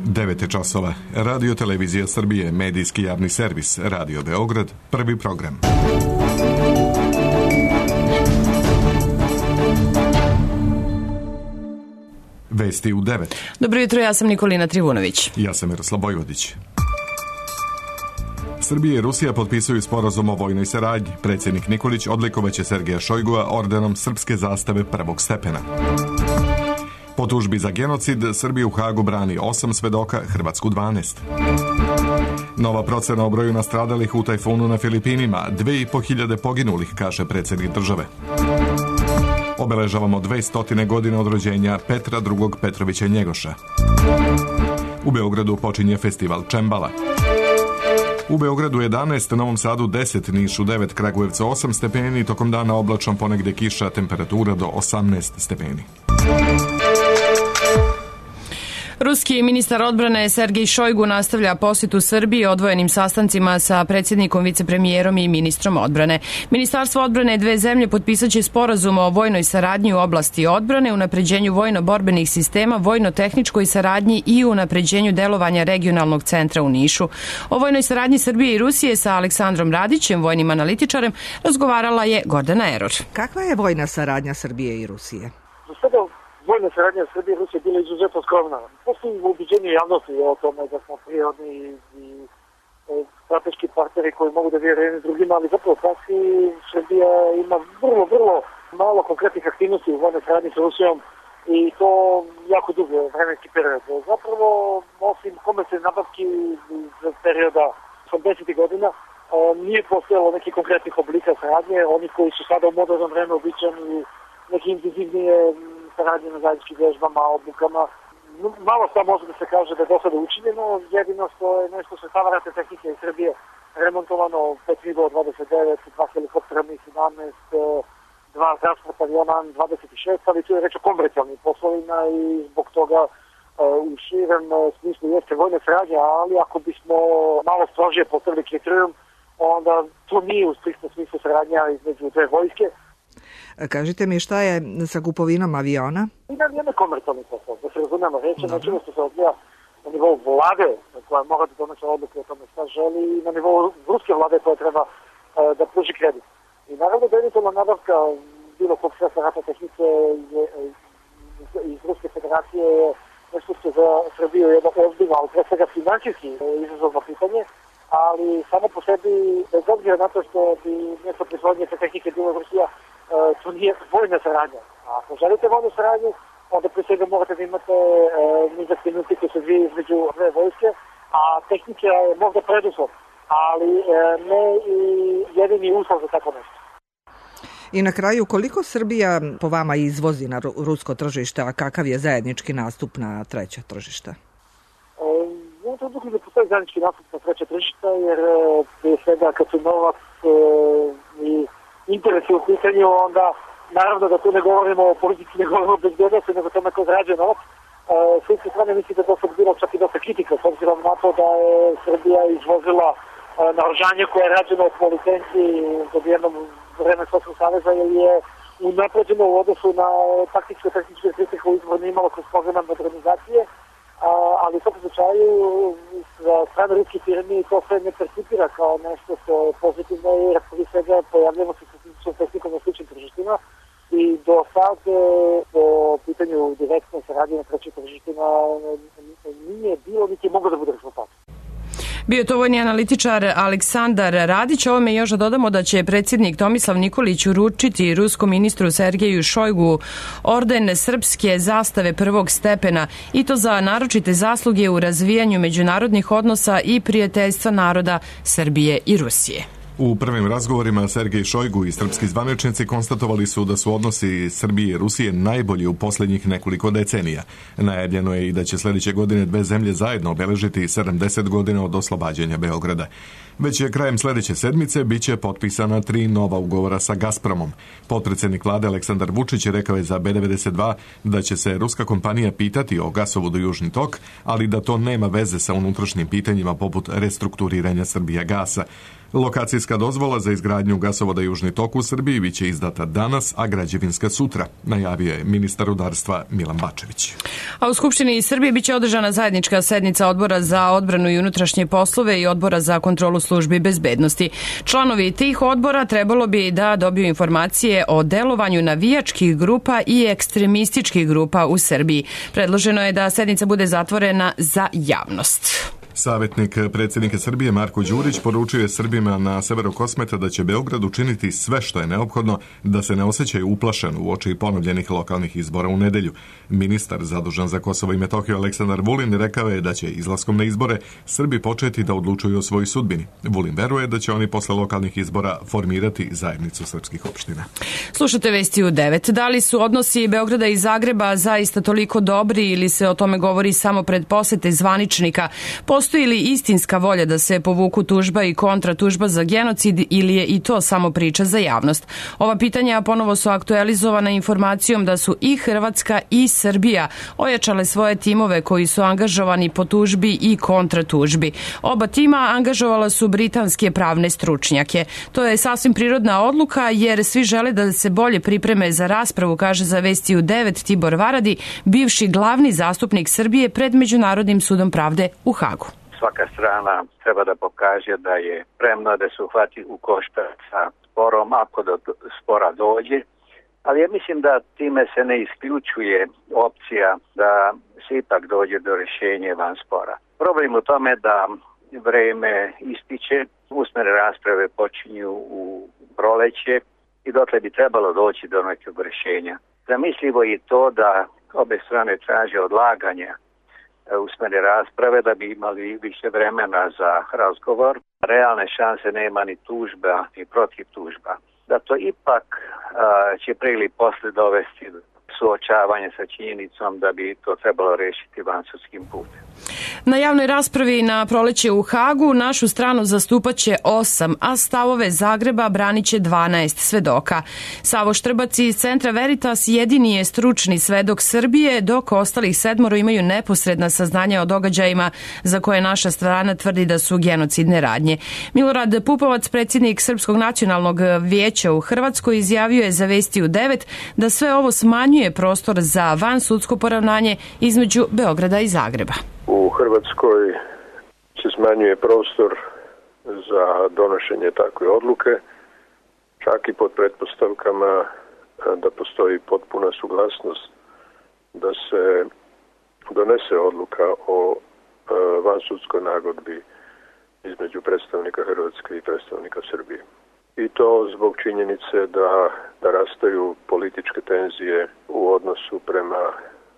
9 časova. Radio Televizija Srbije, medijski javni servis, Radio Beograd, prvi program. Vesti u 9. Dobro jutro, ja sam Nikolina Trivunović. Ja sam Miroslav Bojvodić. Srbija i Rusija potpisuju sporazum o vojnoj saradnji. Predsjednik Nikolić odlikovaće Sergeja Šojgua ordenom srpske zastave prvog stepena. Po tužbi za genocid, Srbija u Hagu brani 8 svedoka, Hrvatsku 12. Nova procena o broju nastradalih u tajfunu na Filipinima, 2500 poginulih, kaže predsjednik države. Obeležavamo 200 godina od rođenja Petra II. Petrovića Njegoša. U Beogradu počinje festival Čembala. U Beogradu 11, Novom Sadu 10, Nišu 9, Kragujevcu 8 stepeni, tokom dana oblačno, ponegde kiša, temperatura do 18 stepeni. Ruski ministar odbrane Sergej Šojgu nastavlja posjetu Srbiji odvojenim sastancima sa predsjednikom, vicepremijerom i ministrom odbrane. Ministarstvo odbrane dve zemlje potpisat će sporazum o vojnoj saradnji u oblasti odbrane, unapređenju vojno-borbenih sistema, vojno-tehničkoj saradnji i unapređenju delovanja regionalnog centra u Nišu. O vojnoj saradnji Srbije i Rusije sa Aleksandrom Radićem, vojnim analitičarem, razgovarala je Gordana Eror. Kakva je vojna saradnja Srbije i Rusije? Vojna saradnja Srbije i Rusije bila izuzetno skromna. Postoji ubiđenje javnosti o tome da smo prirodni i strateški partneri koji mogu da vjeruju jedni drugima, ali zapravo u praksi Srbija ima vrlo malo konkretnih aktivnosti u vojnoj saradnji sa Rusijom i to jako dugo vremenski period. Zapravo, osim komercijalne nabavki iz perioda 80. godina, nije postojalo nekih konkretnih oblika saradnje, oni koji su sada u modernom vremenu običani neki intenzivnije saradnje na zajedničkim vježbama, obukama. Malo šta može da se kaže da je do sada učinjeno, jedino što je nešto što stava ratne tehnike iz Srbije remontovano, 5 Migova 29, 2 helikoptera Mi-17, 2 transporta aviona 26, ali tu je reč o komercijalnim poslovima i zbog toga u širem smislu jeste vojna saradnja, ali ako bismo malo strožije postavili kriterijum, onda to nije u striktnom smislu saradnja između dve vojske. Kažite mi šta je sa kupovinom aviona? Nije komercijalni posao, da se razumemo, reći nečemu što se odvija na nivou vlade koja mora da donese odluke o tome šta želi i na nivou ruske vlade koja treba da pruži kredit. I naravno da eventualna nabavka bilo kog sredstva ratne tehnike iz Ruske federacije je nešto što za Srbiju je jedno ozbiljno, ali pre svega finansijski izazovno pitanje, ali samo po sebi, bez obzira na to što bi mjesto proizvodnje te tehnike bilo Rusija, to nije vojna saradnja. A ako želite vojnu saradnju, onda pre svega morate da imate niz aktivnosti koje se dvije između dve vojske, a tehnika je možda preduslov, ali ne i jedini uslov za tako nešto. I na kraju, koliko Srbija po vama izvozi na rusko tržište, a kakav je zajednički nastup na treća tržišta? Ja to dok ne postoji zajednički nastup na treća tržišta, jer prije svega kad su novac i interesi u pitanju, onda naravno da tu ne govorimo o politici, ne govorimo o bezbednosti, nego tome ko zarađuje novac. S jedne strane mislim da to sad bilo čak i dosta kritika, s obzirom na to da je Srbija izvozila naoružanje koje je rađeno po licenciji dobijenom vreme Sovjetskog saveza, jer je unapređeno u odnosu na taktičko-tehničke kritike u izborne imalo kroz program modernizacije, ali u svakom slučaju za strane ruskih firmi to sve ne percipira kao nešto što je pozitivno i prije svega pojavljamo se sa tehnikom na sličnim tržištima i do sad po pitanju direktne saradnje na trećim tržištima nije bilo niti moglo da bude rezultat. Bio to vojni analitičar Aleksandar Radić. Ovome još dodamo da će predsjednik Tomislav Nikolić uručiti ruskom ministru Sergeju Šojgu orden srpske zastave prvog stepena i to za naročite zasluge u razvijanju međunarodnih odnosa i prijateljstva naroda Srbije i Rusije. U prvim razgovorima Sergej Šojgu i srpski zvaničnici konstatovali su da su odnosi Srbije i Rusije najbolji u posljednjih nekoliko decenija. Najavljeno je i da će sljedeće godine dve zemlje zajedno obeležiti 70 godina od oslobađanja Beograda. Već je krajem sljedeće sedmice biće potpisana 3 nova ugovora sa Gazpromom. Potpredsjednik vlade Aleksandar Vučić rekao je za B92 da će se ruska kompanija pitati o gasovodu Južni tok, ali da to nema veze sa unutrašnjim pitanjima poput restrukturiranja Srbija gasa. Lokacijska dozvola za izgradnju gasovoda Južni tok u Srbiji biće izdata danas, a građevinska sutra, najavio je ministar rudarstva Milan Bačević. A u Skupštini Srbije biće održana zajednička sednica Odbora za odbranu i unutrašnje poslove i Odbora za kontrolu službi bezbednosti. Članovi tih odbora trebalo bi da dobiju informacije o delovanju navijačkih grupa i ekstremističkih grupa u Srbiji. Predloženo je da sednica bude zatvorena za javnost. Savjetnik predsjednika Srbije Marko Đurić poručio je Srbima na severu Kosmeta da će Beograd učiniti sve što je neophodno da se ne osjećaju uplašeno uoči ponovljenih lokalnih izbora u nedelju. Ministar zadužen za Kosovo i Metohiju Aleksandar Vulin rekao je da će izlaskom na izbore Srbi početi da odlučuju o svojoj sudbini. Vulin veruje da će oni posle lokalnih izbora formirati zajednicu srpskih opština. Slušate Vesti u 9. Da li su odnosi Beograda i Zagreba zaista toliko dobri ili se o tome govori samo pred posete zvaničnika? Postoji li istinska volja da se povuku tužba i kontratužba za genocid ili je i to samo priča za javnost? Ova pitanja ponovo su aktualizovana informacijom da su i Hrvatska i Srbija ojačale svoje timove koji su angažovani po tužbi i kontratužbi. Oba tima angažovala su britanske pravne stručnjake. To je sasvim prirodna odluka jer svi žele da se bolje pripreme za raspravu, kaže za Vesti u 9 Tibor Varadi, bivši glavni zastupnik Srbije pred Međunarodnim sudom pravde u Hagu. Svaka strana treba da pokaže da je spremna da se uhvati u koštac sa sporom ako do spora dođe, ali ja mislim da time se ne isključuje opcija da se ipak dođe do rješenja van spora. Problem u tome da vreme ističe, usmene rasprave počinju u proleće i dotle bi trebalo doći do nekog rješenja. Zamislivo je to da obe strane traže odlaganja usmene rasprave da bi imali više vremena za razgovor. Realne šanse nema ni tužba ni protiv tužba. Da to ipak će prije ili posle dovesti suočavanje sa činjenicom da bi to trebalo rešiti vansudskim putem. Na javnoj raspravi na proleće u Hagu našu stranu zastupaće 8, a stavove Zagreba braniće 12 svedoka. Savo Štrbac iz Centra Veritas jedini je stručni svedok Srbije, dok ostalih 7 imaju neposredna saznanja o događajima za koje naša strana tvrdi da su genocidne radnje. Milorad Pupovac, predsjednik Srpskog nacionalnog vijeća u Hrvatskoj, izjavio je za Vesti u 9 da sve ovo smanjuje prostor za vansudsko poravnanje između Beograda i Zagreba. U Hrvatskoj se smanjuje prostor za donošenje takve odluke, čak i pod pretpostavkama da postoji potpuna suglasnost da se donese odluka o vansudskoj nagodbi između predstavnika Hrvatske i predstavnika Srbije. I to zbog činjenice da rastaju političke tenzije u odnosu prema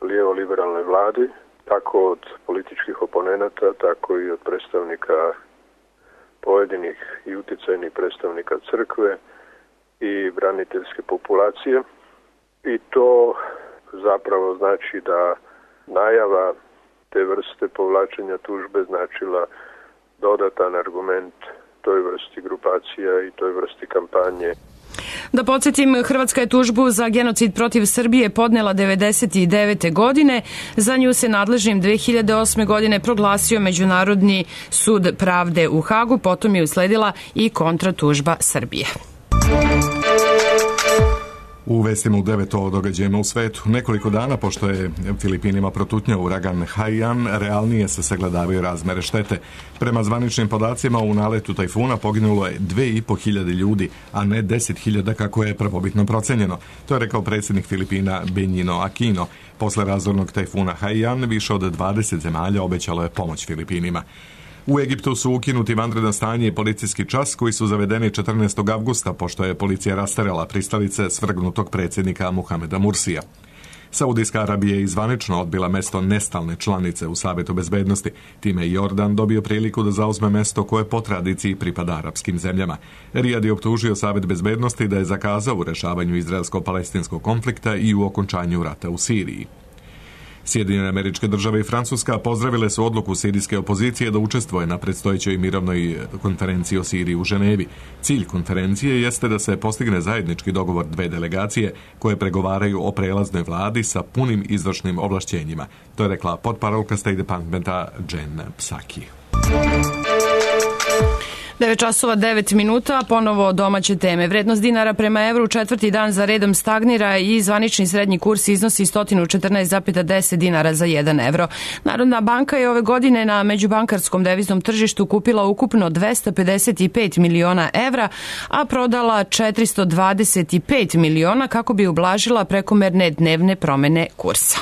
lijevo-liberalnoj vladi, tako od političkih oponenata, tako i od predstavnika pojedinih i uticajnih predstavnika crkve i braniteljske populacije. I to zapravo znači da najava te vrste povlačenja tužbe značila dodatan argument toj vrsti grupacija i toj vrsti kampanje. Da podsjetim, Hrvatska je tužbu za genocid protiv Srbije podnela 1999. godine. Za nju se nadležnim 2008. godine proglasio Međunarodni sud pravde u Hagu, potom je usledila i kontratužba Srbije. U vestima u 9 o događajima u svetu. Nekoliko dana pošto je Filipinima protutnjao uragan Haiyan, realnije se sagledavaju razmere štete. Prema zvaničnim podacima u naletu tajfuna poginulo je 2.500 ljudi, a ne 10.000 kako je prvobitno procenjeno. To je rekao predsjednik Filipina Benigno Aquino. Posle razornog tajfuna Haiyan više od 20 zemalja obećalo je pomoć Filipinima. U Egiptu su ukinuti vanredno stanje i policijski čas koji su zavedeni 14. avgusta pošto je policija rasterala pristalice svrgnutog predsjednika Muhameda Mursija. Saudijska Arabija je zvanično odbila mesto nestalne članice u Savetu bezbednosti. Time je Jordan dobio priliku da zauzme mesto koje po tradiciji pripada arapskim zemljama. Rijad je optužio Savet bezbednosti da je zakazao u rešavanju izraelsko-palestinskog konflikta i u okončanju rata u Siriji. Sjedinjene Američke Države i Francuska pozdravile su odluku sirijske opozicije da učestvuje na predstojećoj mirovnoj konferenciji o Siriji u Ženevi. Cilj konferencije jeste da se postigne zajednički dogovor dve delegacije koje pregovaraju o prelaznoj vladi sa punim izvršnim ovlašćenjima. To je rekla potparolka State Departmenta Jen Psaki. 9 časova 9 minuta, ponovo domaće teme. Vrednost dinara prema evru četvrti dan za redom stagnira i zvanični srednji kurs iznosi 114,10 dinara za 1 evro. Narodna banka je ove godine na međubankarskom deviznom tržištu kupila ukupno 255 miliona evra, a prodala 425 miliona kako bi ublažila prekomerne dnevne promene kursa.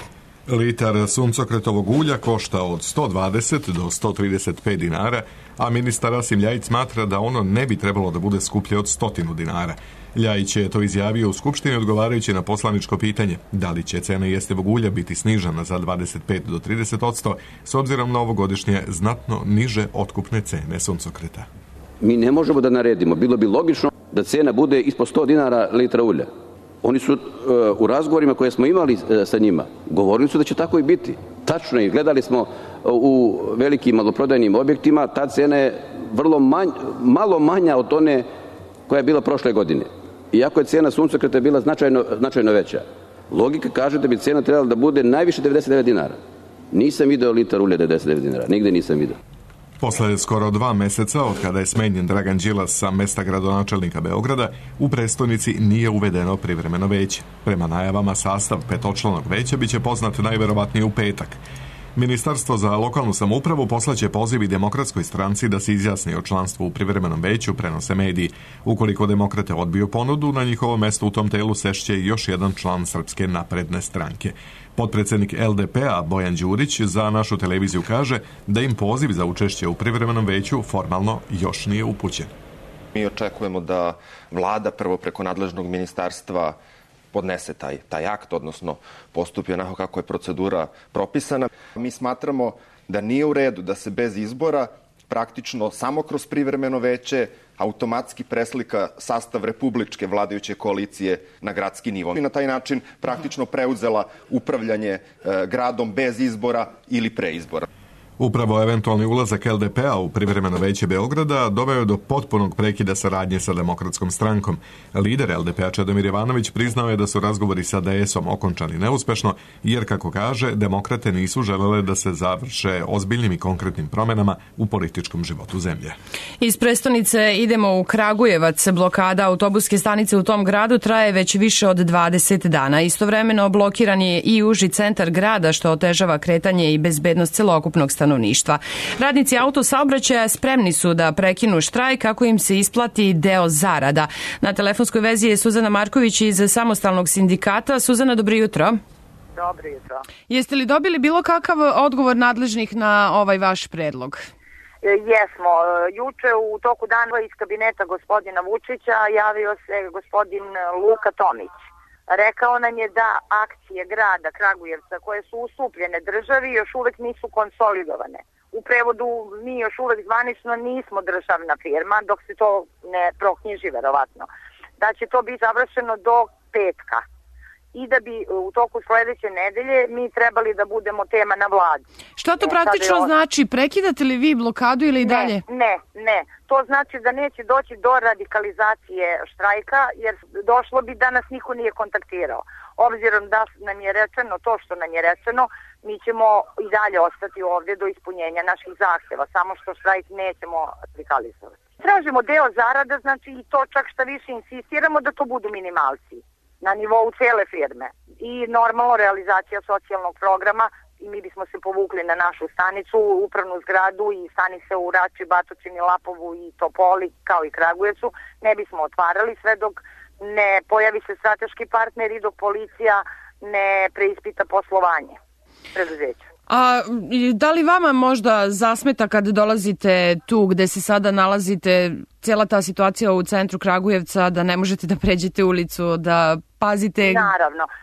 Litar suncokretovog ulja košta od 120 do 135 dinara, a ministar Rasim Ljajić smatra da ono ne bi trebalo da bude skuplje od 100 dinara. Ljajić je to izjavio u Skupštini odgovarajući na poslaničko pitanje da li će cena jestivog ulja biti snižena za 25 do 30% s obzirom na ovogodišnje znatno niže otkupne cene suncokreta. Mi ne možemo da naredimo. Bilo bi logično da cena bude ispod 100 dinara litra ulja. Oni su u razgovorima koje smo imali sa njima govorili su da će tako i biti. Tačno je, gledali smo u velikim maloprodajnim objektima, ta cena je malo manja od one koja je bila prošle godine. Iako je cena suncokreta bila značajno veća. Logika kaže da bi cena trebala da bude najviše 99 dinara. Nisam video litar ulja 99 dinara, nigde nisam video. Posle skoro 2 meseca od kada je smenjen Dragan Đilas sa mesta gradonačelnika Beograda, u prestonici nije uvedeno privremeno veće. Prema najavama sastav petočlanog veća biće poznat najverovatnije u petak. Ministarstvo za lokalnu samoupravu poslaće poziv i Demokratskoj stranci da se izjasni o članstvu u privremenom veću, prenose mediji. Ukoliko demokrate odbiju ponudu, na njihovo mesto u tom telu sešće još jedan član Srpske napredne stranke. Potpredsednik LDP-a Bojan Đurić za našu televiziju kaže da im poziv za učešće u privremenom veću formalno još nije upućen. Mi očekujemo da vlada prvo preko nadležnog ministarstva podnese taj akt, odnosno postupi onako kako je procedura propisana. Mi smatramo da nije u redu da se bez izbora praktično samo kroz privremeno veće automatski preslika sastav republičke vladajuće koalicije na gradski nivo. I na taj način praktično preuzela upravljanje gradom bez izbora ili pre izbora. Upravo eventualni ulazak LDP-a u privremeno veće Beograda doveo do potpunog prekida saradnje sa Demokratskom strankom. Lider LDP-a Čedomir Jovanović priznao je da su razgovori sa DS-om okončani neuspešno, jer, kako kaže, demokrate nisu želele da se završe ozbiljnim i konkretnim promenama u političkom životu zemlje. Iz prestonice idemo u Kragujevac. Blokada autobuske stanice u tom gradu traje već više od 20 dana. Istovremeno blokiran je i uži centar grada, što otežava kretanje i bezbednost celokupnog stanovništva. Radnici autosaobraćaja spremni su da prekinu štrajk kako im se isplati deo zarada. Na telefonskoj vezi je Suzana Marković iz Samostalnog sindikata. Suzana, dobro jutro. Dobro jutro. Jeste li dobili bilo kakav odgovor nadležnih na ovaj vaš predlog? Jesmo. Juče u toku dana iz kabineta gospodina Vučića javio se gospodin Luka Tomić. Rekao nam je da akcije grada Kragujevca koje su ustupljene državi još uvek nisu konsolidovane. U prevodu mi još uvek zvanično nismo državna firma dok se to ne proknjiži verovatno. Da će to biti završeno do petka i da bi u toku sledeće nedelje mi trebali da budemo tema na vladi. Šta to praktično znači? Prekidate li vi blokadu ili i dalje? Ne. To znači da neće doći do radikalizacije štrajka, jer došlo bi da nas niko nije kontaktirao. Obzirom da nam je rečeno to što nam je rečeno, mi ćemo i dalje ostati ovdje do ispunjenja naših zahteva, samo što štrajk nećemo radikalizovati. Tražimo deo zarada, znači i to čak šta više insistiramo da to budu minimalci na nivou cele firme i normalno realizacija socijalnog programa. I mi bismo se povukli na našu stanicu, upravnu zgradu i stanice u Rači, Batočini, Lapovu i Topoli, kao i Kragujevcu, ne bismo otvarali sve dok ne pojavi se strateški partner i dok policija ne preispita poslovanje preduzeća. A da li vama možda zasmeta kad dolazite tu gde se sada nalazite, cijela ta situacija u centru Kragujevca, da ne možete da pređete ulicu, da pazite?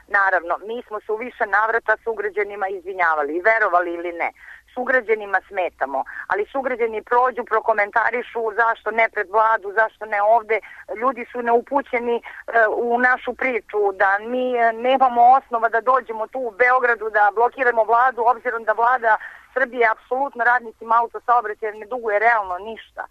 Naravno. Mi smo se u više navrata sugrađanima izvinjavali, verovali ili ne. Sugrađanima smetamo, ali sugrađani prođu, prokomentarišu zašto ne pred vladu, zašto ne ovde. Ljudi su neupućeni u našu priču da mi nemamo osnova da dođemo tu u Beogradu da blokiramo vladu, obzirom da vlada Srbije apsolutno radnicima autosaobraćaja ne duguje realno ništa.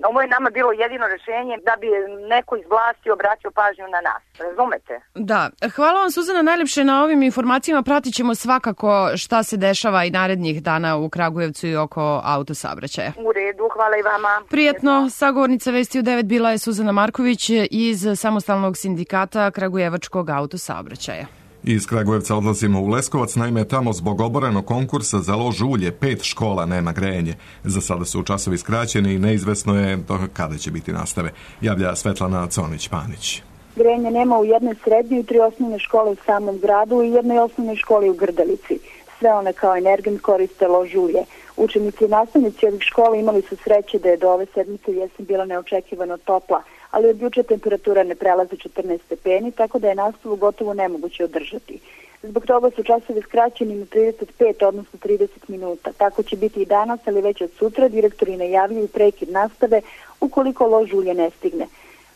Ovo je nama bilo jedino rešenje da bi neko iz vlasti obraćao pažnju na nas. Razumete? Da. Hvala vam, Suzana, najlepše na ovim informacijama. Pratit ćemo svakako šta se dešava i narednih dana u Kragujevcu i oko autosaobraćaja. U redu, hvala i vama. Prijetno. Sagovornica Vesti u 9 bila je Suzana Marković iz Samostalnog sindikata Kragujevačkog autosaobraćaja. Iz Kragujevca odlazimo u Leskovac, naime tamo zbog oborenog konkursa za lož ulje 5 škola nema grejanje. Za sada su časovi skraćeni i neizvesno je kada će biti nastave. Javlja Svetlana Conić-Panić. Grejanja nema u jednoj srednjoj i 3 osnovne škole u samom gradu i jednoj osnovnoj školi u Grdelici. Sve one kao energent koriste lož ulje. Učenici i nastavnici ovih škola imali su sreće da je do ove sedmice jesen bila neočekivano topla, ali od juče temperatura ne prelazi 14 stepeni, tako da je nastavu gotovo nemoguće održati. Zbog toga su časovi skraćeni na 35, odnosno 30 minuta. Tako će biti i danas, ali već od sutra direktori najavljuju prekid nastave ukoliko lož ulje ne stigne.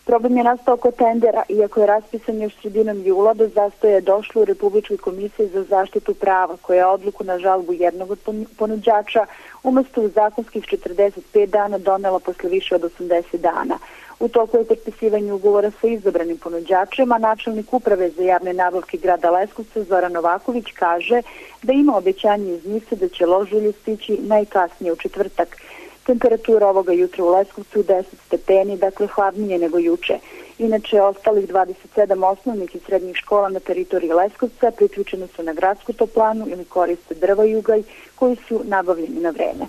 Problem je nastao kod tendera, iako je raspisan još sredinom jula, do zastoja je došlo u Republičkoj komisiji za zaštitu prava, koja je odluku na žalbu jednog od ponuđača umesto u zakonskih 45 dana donela posle više od 80 dana. U toku je potpisivanje ugovora sa izabranim ponuđačem, a načelnik uprave za javne nabavke grada Leskovca Zoran Novaković kaže da ima obećanje iz NIS-a da će lož ulje stići najkasnije u četvrtak. Temperatura ovoga jutra u Leskovcu 10 stepeni, dakle hladnije nego juče. Inače, ostalih 27 osnovnih i srednjih škola na teritoriji Leskovca priključene su na gradsku toplanu ili koriste drva i ugalj koji su nabavljeni na vreme.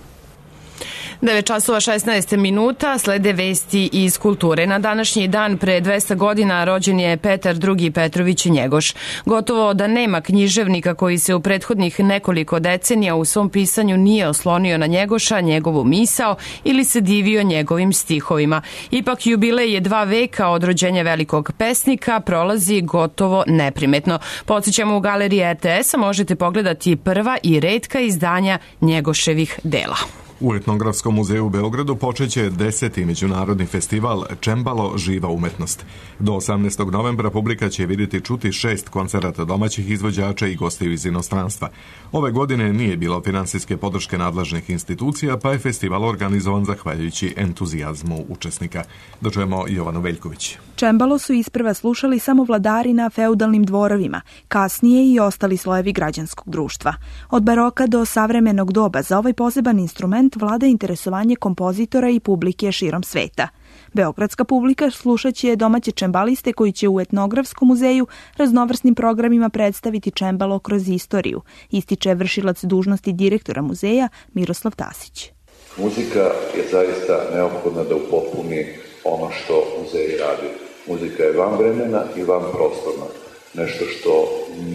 9:16 slede vesti iz kulture. Na današnji dan pre 200 godina rođen je Petar II. Petrović Njegoš. Gotovo da nema književnika koji se u prethodnih nekoliko decenija u svom pisanju nije oslonio na Njegoša, njegovu misao ili se divio njegovim stihovima. Ipak jubilej je 2 veka od rođenja velikog pesnika prolazi gotovo neprimetno. Podsjećamo, u galeriji RTS-a možete pogledati prva i retka izdanja Njegoševih dela. U Etnografskom muzeju u Beogradu počeće 10. međunarodni festival Čembalo živa umetnost. Do 18. novembra publika će vidjeti čuti 6 koncerata domaćih izvođača i gostiju iz inostranstva. Ove godine nije bilo finansijske podrške nadležnih institucija, pa je festival organizovan zahvaljujući entuzijazmu učesnika. Dočujemo Jovanu Veljković. Čembalo su isprva slušali samo vladari na feudalnim dvorovima, kasnije i ostali slojevi građanskog društva. Od baroka do savremenog doba za ovaj poseban instrument vlada interesovanje kompozitora i publike širom sveta. Beogradska publika slušaće domaće čembaliste koji će u Etnografskom muzeju raznovrsnim programima predstaviti čembalo kroz istoriju, ističe vršilac dužnosti direktora muzeja Miroslav Tasić. Muzika je zaista neophodna da upotpuni ono što muzeji radi. Muzika je van vremena i van prostorna. Nešto što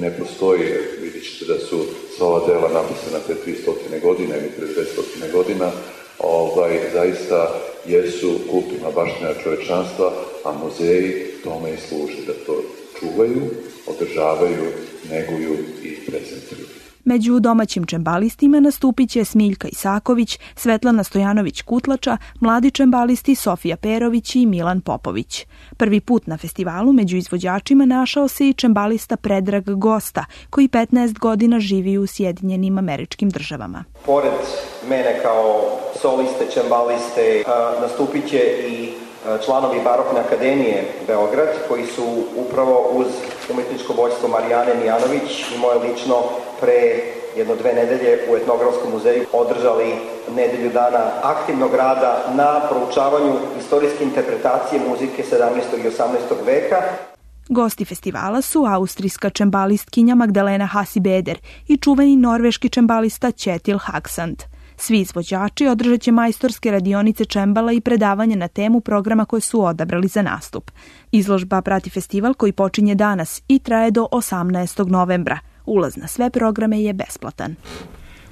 ne postoji, vidjet ćete da su sva ova dela napisana pre 300 godina ili pre 200 godina, zaista jesu kulturna baština čovečanstva, a muzeji tome i služe, da to čuvaju, održavaju, neguju i prezentuju. Među domaćim čembalistima nastupit će Smiljka Isaković, Svetlana Stojanović-Kutlača, mladi čembalisti Sofija Perović i Milan Popović. Prvi put na festivalu među izvođačima našao se i čembalista Predrag Gosta, koji 15 godina živi u Sjedinjenim Američkim Državama. Pored mene kao soliste, čembaliste, nastupit će i članovi Barokne akademije Beograd, koji su upravo uz umetničko vođstvo Marijane Mijanović i moje lično pre 1-2 nedelje u Etnografskom muzeju održali nedelju dana aktivnog rada na proučavanju istorijske interpretacije muzike 17. i 18. veka. Gosti festivala su austrijska čembalistkinja Magdalena Hasi-Beder i čuveni norveški čembalista Kjetil Haksand. Svi izvođači održat će majstorske radionice čembala i predavanje na temu programa koje su odabrali za nastup. Izložba prati festival koji počinje danas i traje do 18. novembra. Ulaz na sve programe je besplatan.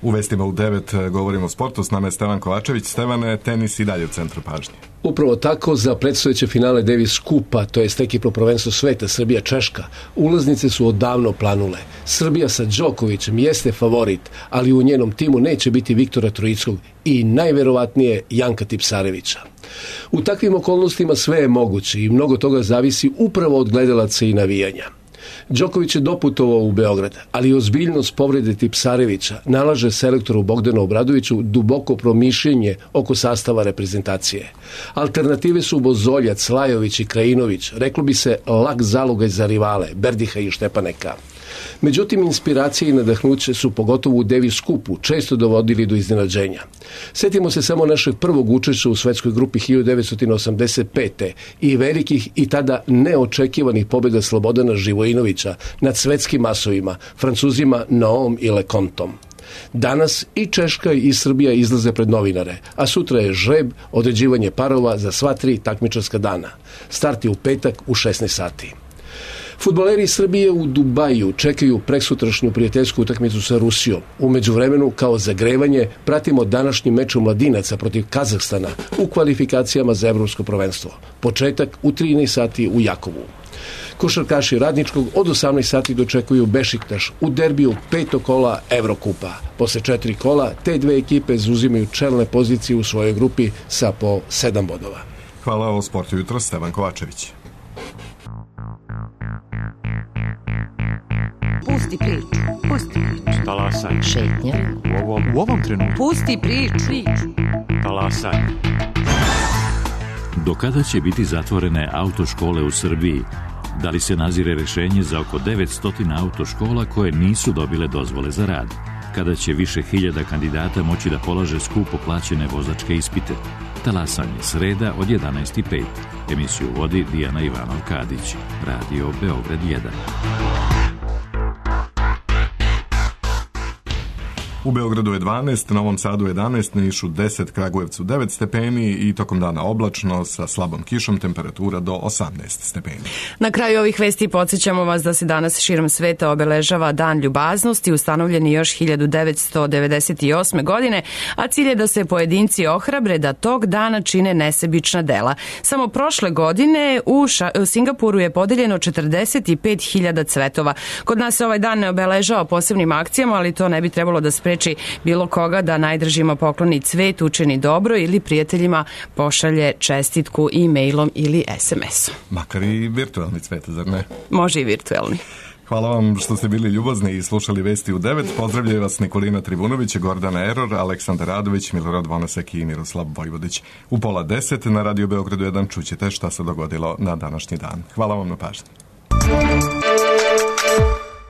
U vestima u 9 govorimo o sportu, s nama je Stevan Kovačević. Stevane, tenis i dalje u centru pažnje. Upravo tako, za predstojeće finale Davis Kupa, to je ekipno prvenstvo sveta Srbija-Češka, ulaznice su odavno planule. Srbija sa Đokovićem jeste favorit, ali u njenom timu neće biti Viktora Trojickog i najverovatnije Janka Tipsarevića. U takvim okolnostima sve je moguće i mnogo toga zavisi upravo od gledalaca i navijanja. Đoković je doputovao u Beograd, ali ozbiljnost povrede Tipsarevića nalaže selektoru Bogdanu Obradoviću duboko promišljenje oko sastava reprezentacije. Alternative su Bozoljac, Lajović i Krajinović, reklo bi se lak zalogaj za rivale, Berdiha i Štepaneka. Međutim, inspiracije i nadahnuće su pogotovo u Davis Cupu često dovodili do iznenađenja. Sjetimo se samo našeg prvog učešća u svetskoj grupi 1985. i velikih i tada neočekivanih pobjeda Slobodana Živojinovića nad svetskim masovima, Francuzima Noom i Lecontom. Danas i Češka i Srbija izlaze pred novinare, a sutra je žreb, određivanje parova za sva 3 takmičarska dana. Start je u petak u 16 sati. Fudbaleri Srbije u Dubaju čekaju preksutrašnju prijateljsku utakmicu sa Rusijom. U međuvremenu, kao zagrevanje, pratimo današnji meč mladinaca protiv Kazahstana u kvalifikacijama za evropsko prvenstvo. Početak u 13 sati u Jakovu. Košarkaši Radničkog od 18 sati dočekuju Bešiktaš u derbiju 5. kola Evrokupa. Posle 4 kola, te dve ekipe zauzimaju čelne pozicije u svojoj grupi sa po 7 bodova. Hvala o sportu jutro, Stevan Kovačević. Pusti priču. Pusti priču. Talasaj. Šetnja. U ovom trenutku. Pusti priču. Talasaj. Do kada će biti zatvorene autoškole u Srbiji? Da li se nazire rešenje za oko 900 autoškola koje nisu dobile dozvole za rad? Kada će više hiljada kandidata moći da polaže skupo plaćene vozačke ispite? Talasanje, sreda od 11:05. Emisiju vodi Dijana Ivanov-Kadić. Radio Beograd 1. U Beogradu je 12, Novom Sadu 11, Nišu 10, Kragujevcu 9 stepeni i tokom dana oblačno sa slabom kišom, temperatura do 18 stepeni. Na kraju ovih vesti podsjećamo vas da se danas širom sveta obeležava Dan ljubaznosti, ustanovljen je još 1998. godine, a cilj je da se pojedinci ohrabre da tog dana čine nesebična dela. Samo prošle godine u Singapuru je podeljeno 45.000 cvetova. Kod nas se ovaj dan ne obeležava posebnim akcijama, ali to ne bi trebalo da spreči bilo koga da najdržima pokloni cvet, učini dobro ili prijateljima pošalje čestitku e-mailom ili SMS-om. Makar i virtualni cvet, zar ne? Može i virtualni. Hvala vam što ste bili ljubazni i slušali Vesti u 9. Pozdravljaju vas Nikolina Trivunović, Gordana Eror, Aleksandar Radović, Milorad Vonasek i Miroslav Vojvodić. U 9:30 na Radio Beogradu 1 čućete šta se dogodilo na današnji dan. Hvala vam na pažnji.